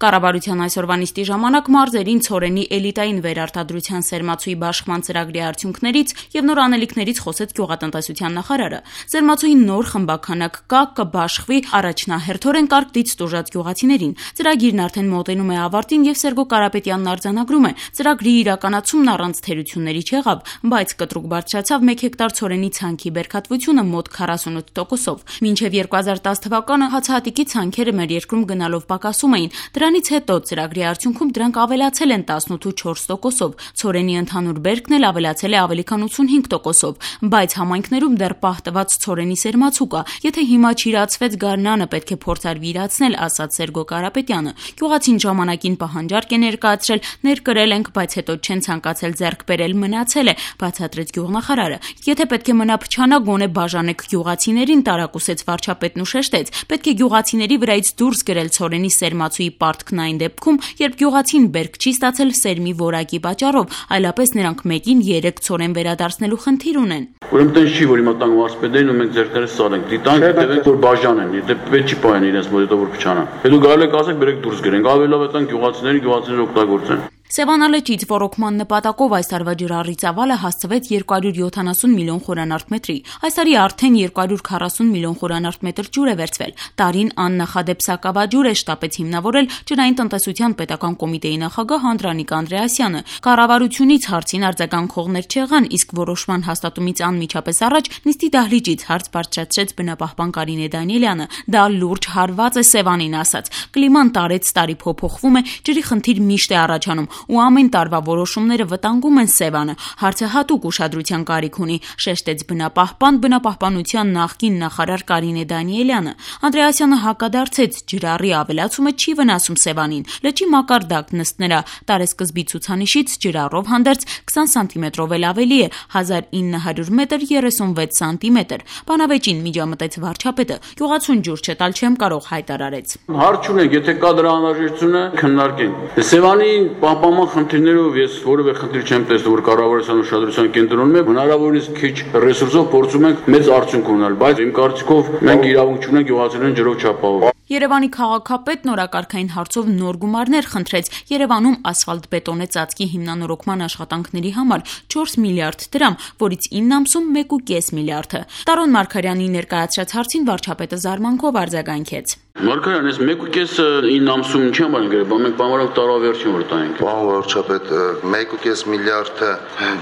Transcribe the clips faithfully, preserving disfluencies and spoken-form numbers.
Կառավարության այսօրվա նիստի ժամանակ մարզերին ցորենի էլիտային վերարտադրության սերմացուի բաշխման ծրագրի արդյունքներից եւ նոր անելիքներից խոսեց գյուղատնտեսության նախարարը։ Սերմացուի նոր խմբաքանակ կա, կբաշխվի առաջնահերթորեն կարգ տուժած գյուղացիներին։ Ծրագիրն արդեն մոտենում է ավարտին եւ Սերգո Կարապետյանն արձանագրում է. ծրագրի իրականացումն առանց թերությունների չեղավ, բայց կտրուկ բարձրացավ մեկ հեկտար ցորենի ցանքի բերքատվությունը մոտ քառասունութ տոկոսով։ Մինչեւ երկու հազար տասը թվականը հացահատիկի ցանքերը մեր երկրում գնալով պակասում էին։ Դրանից հետո ծրագրի արդյունքում դրանք ավելացել են տասնութ ու չորս տոկոսով։ Ցորենի ընդհանուր բերքն էլ ավելացել է ավելի քան ութսունհինգ տոկոսով, բայց համայնքներում դեռ պահտված ցորենի սերմացու կա։ Եթե հիմա չիրացվեց գարնանը, պետք է փորձարվի իրացնել, ասաց Սերգո Կարապետյանը։ Գյուղացին ժամանակին պահանջարկ է ներկայացրել, ներկրել ենք, բայց հետո չեն ցանկացել ձեռք բերել, մնացել է, բացատրեց գյուղնախարարը։ Եթե պետք է մնա փչանա, գոնե բաժանեք գյուղացիներին, տարակուսեց վարչապետն ու շեշտեց։ Պետք է գյուղացիների վրայից դուրս գրել ցորենի սերմացուի պարտքն այն դեպքում, երբ գյուղացին բերք չի ստացել սերմի որակի պատճառով, այլապես նրանք մեկին երեք ցորեն վերադարձնելու խնդիր ունեն։ Ուրեմն տենց չի, որ հիմա տանք մարզպետերին ու մենք ձեռքներս սարենք, դիտանք, տևենք, որ բաժանեն, եթե պետք չի պահեն իրենց մոտ, հետո որ փչանան։ Հետո գալու եք ասեք, բերեք դուրս գրենք, ավելի լավ է տանք գյուղացիներին, գյուղացիները օգտագործեն։ Սևանա լճից ոռոգման նպատակով այս տարվա ջրառի ծավալը հասցվեց երկու հարյուր յոթանասուն միլիոն խորանարդ մետրի։ Այս տարի արդեն երկու հարյուր քառասուն միլիոն խորանարդ մետր ջուր է վերցվել։ Տարին աննախադեպ սակավաջուր է շտապեց հիմնավորել ջրային տնտեսության պետական կոմիտեի նախագահ Անդրանիկ Անդրեասյանը։ Կառավարությունից հարցին արձագանքողներ չեղան, իսկ որոշման հաստատումից անմիջապես առաջ նիստի դահլիճից հարց բարձրացրեց բնապահպան Կարինե Դանիելյանը։ Դա լուրջ հարված է Սևանին ասաց։ Կլիման տարեց տարի փոփոխվում է, ջրի խնդիր միշտ է առաջանում ու ամեն տարվա որոշումները վտանգում են Սևանը։ Հարցը հատուկ ուշադրության կարիք ունի, շեշտեց բնապահպան բնապահպանության նախկին նախարար Կարինե Դանիելյանը։ Անդրեասյանը հակադարձեց, ջրառի ավելացումը չի վնասում Սևանին։ Լճի մակարդակն ըստ նրա տարեսկզբի ցուցանիշից ջրառով հանդերձ քսան սանտիմետրով էլ ավելի է, հազար ինը հարյուր մետր երեսունվեց սանտիմետր։ Բանավեճին միջամտեց վարչապետը։ Գյուղացուն ջուր չտալ չեմ կարող հայտարարեց։ Հարց չունենք, եթե կա դրա անհրաժեշտությունը, քննարկենք։ Սևանի պահպանման խնդիրներով ես որևէ խնդիր չեմ տեսնում, որ կառավարության ուշադրության կենտրոնում է, հնարավորինս քիչ ռեսուրսով փորձում ենք մեծ արդյունք ունենալ, բայց իմ կարծիքով մենք իրավունք չունենք գյուղացիներին ջրով չապահովել։ Երևանի քաղաքապետն օրակարգային հարցով նոր գումարներ խնդրեց։ Երևանում ասֆալտ-բետոնե ծածկի հիմնանորոգման աշխատանքների համար չորս միլիարդ դրամ, որից ինը ամսում մեկ ու կես միլիարդը։ Տարոն Մարգարյանի ներկայացրած հարցին վարչապետը զարմանքով արձագանքեց։ Մարգարյան, այս մեկ ու կեսը ինը ամսում ինչի համար են գրել, բա մենք բանվորակ տարավերջին որ տանենք։ Պարոն վարչապետ, մեկ ու կես միլիարդը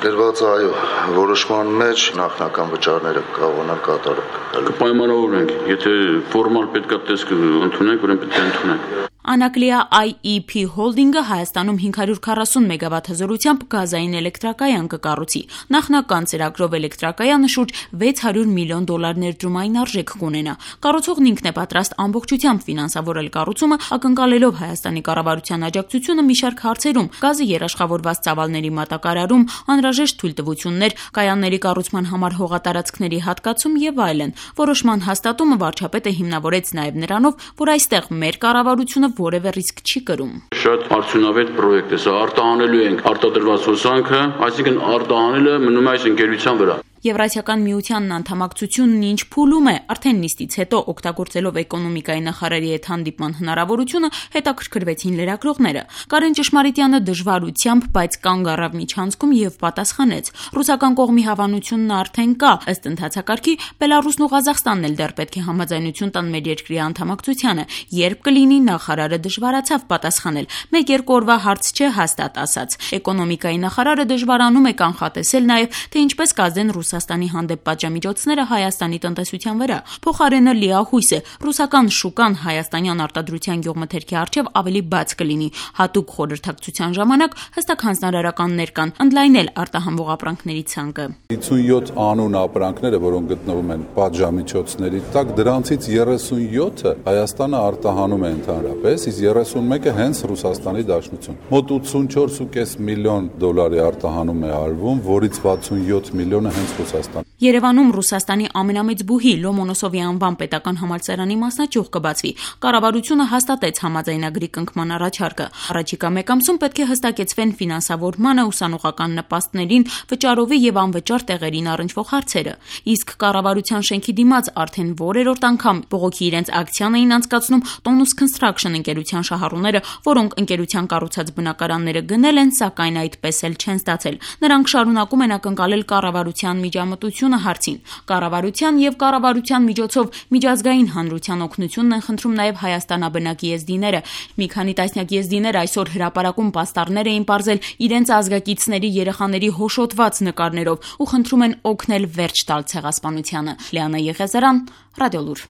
դրված է այո, որոշման մեջ նախնական վճարները կարողանալ կատարել։ Կպայմանավորենք, եթե ֆորմալ պետքա տեսք ընդունենք, ուրեմն պետք է ընդունենք։ Անակլիա I E P Holding-ը Հայաստանում հինգ հարյուր քառասուն մեգավատ հզորությամբ գազային էլեկտրակայան կկառուցի։ Նախնական ծրագրով էլեկտրակայանը շուրջ վեց հարյուր միլիոն դոլար ներդրումային արժեք կունենա։ Կառուցողն ինքն է պատրաստ ամբողջությամբ ֆինանսավորել կառուցումը, ակնկալելով Հայաստանի կառավարության աջակցությունը մի շարք հարցերում՝ գազի երաշխավորված ծավալների մատակարարում, անհրաժեշտ թույլտվություններ, կայանների կառուցման համար հողատարածքների հատկացում եւ այլն։ Որոշման հաստատումը վարչապետը հիմնավորեց նաեւ նրանով, որ այստեղ մեր կառավարությունը որևէ ռիսկ չի կրում։ Շատ արդյունավետ պրոյեկտ է, սա արտահանելու ենք արտադրված հոսանքը, այսինքն արտահանելը մնում է այս ընկերության վրա։ Եվրասիական միությանն անդամակցությունն ինչ փուլում է, արդեն նիստից հետո օգտագործելով էկոնոմիկայի նախարարի հետ հանդիպման հնարավորությունը հետաքրքրվեցին լրագրողները։ Կարեն Ճշմարիտյանը դժվարությամբ, բայց կանգ առավ միջանցքում եւ պատասխանեց. ռուսական կողմի հավանությունն արդեն կա, ըստ ընթացակարգի Բելարուսն ու Ղազախստանն էլ դեռ պետք է համաձայնություն տան մեր երկրի անդամակցությանը, երբ կլինի նախարարը դժվարացավ պատասխանել։ Մեկ-երկու օրվա հարց չէ, հաստատ ասաց։ Էկոնոմիկայի նախարարը դժվարանում է կանխատեսել նաեւ, թե ինչպես կազդեն Ռուսաստանի հանդեպ պատժամիջոցները Հայաստանի տնտեսության վրա։ Փոխարենը լիահույս է, ռուսական շուկան հայաստանյան արտադրության գյուղմթերքի առջև ավելի բաց կլինի։ Հատուկ խորհրդակցության ժամանակ հստակ հանձնարարականներ կան ընդլայնել արտահանվող ապրանքների ցանկը։ հիսունյոթ անուն ապրանքները, որոնք գտնվում են պատժամիջոցների տակ, դրանցից երեսունյոթը Հայաստանը արտահանում է ընդհանրապես, իսկ երեսունմեկը հենց Ռուսաստանի Դաշնություն։ Մոտ ութսունչորս ու կես միլիոն դոլարի արտահանում է արվում, որից վաթսունյոթ միլիոնը հենց Ռուսաստան։ Երևանում Ռուսաստանի ամենամեծ բուհի Լոմոնոսովի անվան պետական համալսարանի մասնաճյուղ կբացվի։ Կառավարությունը հաստատեց համաձայնագրի կնքման առաջարկը։ Առաջիկա մեկ ամսում պետք է հստակեցվեն ֆինանսավորմանը, ուսանողական նպաստներին, վճարովի եւ անվճար տեղերին առնչվող հարցերը։ Իսկ կառավարության շենքի դիմաց արդեն որերորդ անգամ բողոքի իրենց ակցիան էին անցկացնում Tonus Construction ընկերության շահառուները, որոնք ընկերության կառուցած բնակարանները գնել են, սակայն այդպես էլ չեն ստացել։ Նրանք շարունակում են ակնկալել կառավարության միջամտությունը հարցին։ Կառավարության եւ կառավարության միջոցով միջազգային հանրության օգնությունն են խնդրում նաեւ Հայաստանաբնակ եզդիները։ Մի քանի տասնյակ եզդիներ այսօր հրապարակում պաստառներ էին պարզել իրենց ազգակիցների երեխաների հոշոտված նկարներով ու խնդրում են օգնել վերջ տալ ցեղասպանությանը։ Լիանա Եղիազարյան, Ռադիոլուր։